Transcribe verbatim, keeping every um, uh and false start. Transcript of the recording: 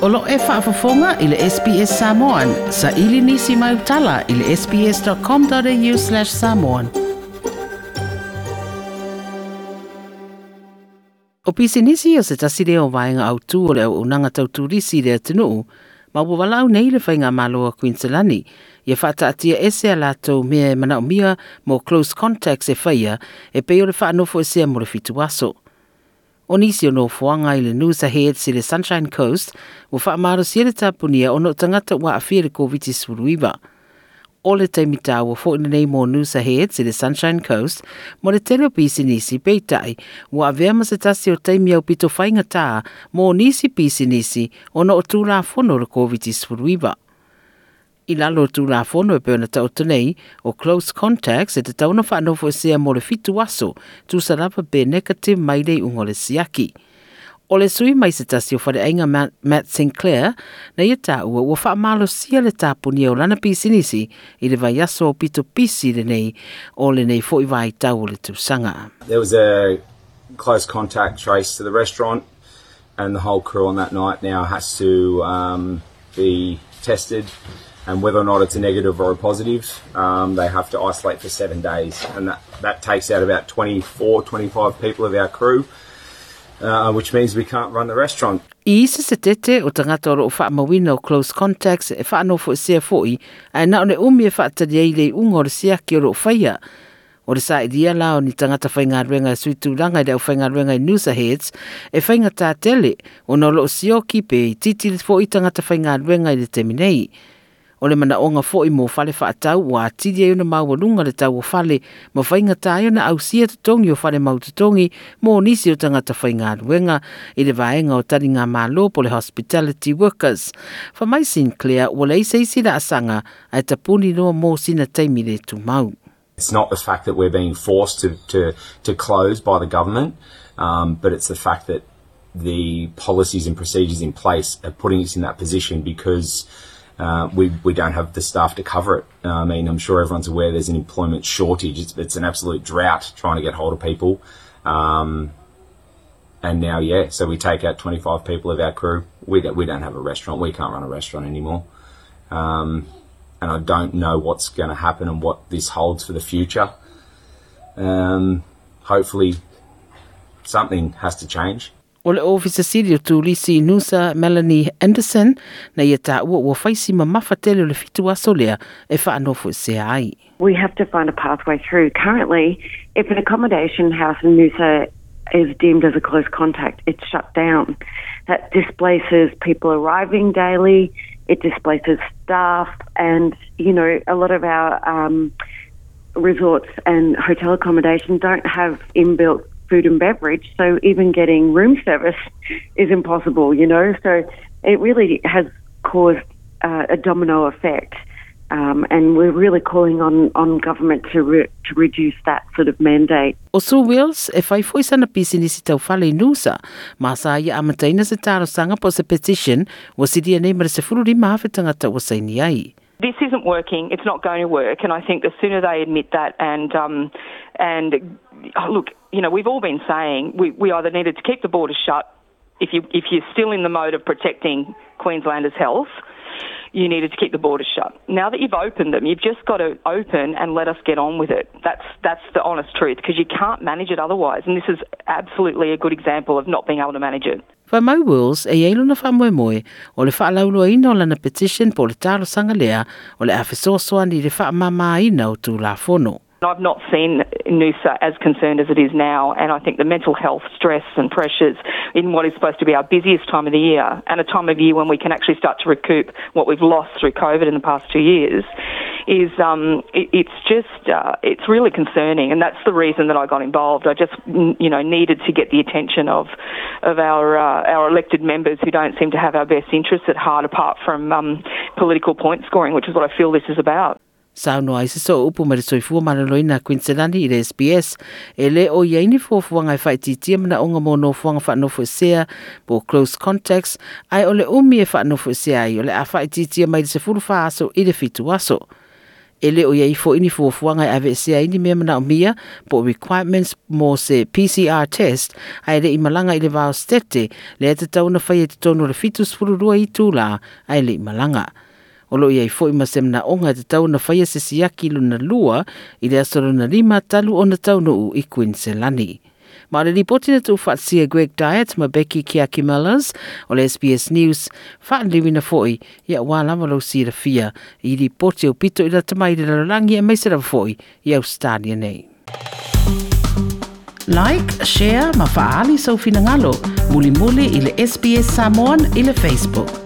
O lo e faafofoga i le S B S Samoan, sa ili nisi mai utala i le S B S dot com dot A U slash samoan. O pisinisi o se tasi lea o vaega autū o le auaunaga tau turisi i le atunuu, ma ua valaau nei le Faigamalo a Kuiniselani ia faataatia ese a latou mea e manaomia mo close contacts e faia e pei o le faanofo esea mo le fitu aso. O nisi o nofoaga i le Noosa Heads i le Sunshine Coast ua faamalosia le tapunia ona o tagata ua aafia le Koviti sefuluiva. O le taimi taua fo'i lenei mo Noosa Heads i le Sunshine Coast mo le tele o pisinisi, peitai ua avea ma se tasi o taimi aupito faigatā mo nisi pisinisi ona o tulafono o le Koviti sefuluiva. I lalo o tulafono e pei ona taoto nei, o close contacts e tatau ona faanofo esea mo le fitu aso, tusa lava pe negative mai le iuga o le siaki. O le sui mai se tasi o faleaiga Matt Sinclair, na ia taua ua faamalosia le tapunia o lana pisinisi i le vaiaso o pito pisi lenei o lenei fo'i vaitau o le tausaga. There was a close contact trace to the restaurant, and the whole crew on that night now has to um, be tested. And whether or not it's a negative or a positive, um, they have to isolate for seven days. And that, that takes out about twenty-four, twenty-five people of our crew, uh, which means we can't run the restaurant. I isi se tete o tagata o loo faamauina o close contacts e faanofo esea fo'i, ae na o le umi e faatali ai le iuga o le siaki o loo faia. O le sailia la o ni tagata faigaluega e suitulaga i le aufaigaluega i Noosa Heads e faigatā tele ona o loo sioki pe itiiti fo'i tagata faigaluega i le taimi nei. O le manaoga fo'i mo fale faatau ua atili ai ona maualuga le tau o fale ma faigatā ai ona ausia totogi o fale mautotogi mo nisi o tagata faigaluega i le vaega o taligamalo po le hospitality workers. Fai mai Sinclair ua leai se isi laasaga ae tapuni loa mo sina taimi le tumau. It's not the fact that we're being forced to, to, to close by the government, um, but it's the fact that the policies and procedures in place are putting us in that position because uh, we, we don't have the staff to cover it. Uh, I mean, I'm sure everyone's aware there's an employment shortage. It's, it's an absolute drought trying to get hold of people. Um, and now, yeah, so we take out twenty-five people of our crew. We don't, we don't have a restaurant. We can't run a restaurant anymore. Um, and I don't know what's going to happen and what this holds for the future. Um, hopefully, something has to change. O le Ofisa Sili o Turisi Noosa Melanie Anderson na ia taua ua faisi mamafa tele o le fitu aso lea e faanofo esea ai. We have to find a pathway through. Currently, if an accommodation house in Noosa is deemed as a close contact, it's shut down. That displaces people arriving daily, it displaces staff, and, you know, a lot of our um, resorts and hotel accommodation don't have inbuilt food and beverage, so even getting room service is impossible, you know. So it really has caused uh, a domino effect. Um, and we're really calling on, on government to, re- to reduce that sort of mandate. O Sue Wills e fai foi sana pisinisi tau fale i Noosa, ma sa ia amataina se talosaga po se petition ua silia nei ma le sefulu lima afe tagata ua saini ai. This isn't working. It's not going to work. And I think the sooner they admit that and um, and oh, look, you know, we've all been saying we, we either needed to keep the borders shut. If you if you're still in the mode of protecting Queenslanders' health, you needed to keep the borders shut. Now that you've opened them, you've just got to open and let us get on with it. That's that's the honest truth, because you can't manage it otherwise. And this is absolutely a good example of not being able to manage it. Fai mai Wills e iai lona faamoemoe o le faalauiloaina o lana petition po o le talosaga lea o le a fesoasoani i le faamamaina o tulafono. I've not seen Noosa as concerned as it is now, and I think the mental health stress and pressures in what is supposed to be our busiest time of the year, and a time of year when we can actually start to recoup what we've lost through COVID in the past two years, is um, it, it's just uh, it's really concerning, and that's the reason that I got involved. I just you know needed to get the attention of of our uh, our elected members who don't seem to have our best interests at heart, apart from um, political point scoring, which is what I feel this is about. Saunoa ai se sooupu ma le Soifua Maloloina Kuiniselani i le S B S e le o iai ni fuafuaga e faaitiitia manaoga mo nofoaga faanofo esea po close contacts, ae o le umi e faanofo esea ai o le a faaitiitia mai le sefulu fa aso i le fitu aso. E le o iai fo'i ni fuafuaga e aveesea ai ni mea manaomia po o requirements mo se P C R test ae le'i malaga i le va o Setete lea e tatau ona faia i totonu o le fitu sefulu lua itulā ae le'i malaga. O loo iai fo'i ma se manaoga e tatau ona faia se siaki lona lua i le aso lona lima talu ona taunuu i Queensland. Ma o le lipoti na tuufaatasia Greg Diet ma Becky Kiakimellers o le S B S News faaliliuina fo'i ia ua lava lou silafia i lipoti aupito i lata mai i le lalolagi aemaise lava fo'i i Australia nei. Like, share ma faaali sou finagalo mulimuli i le S B S Samoan i le Facebook.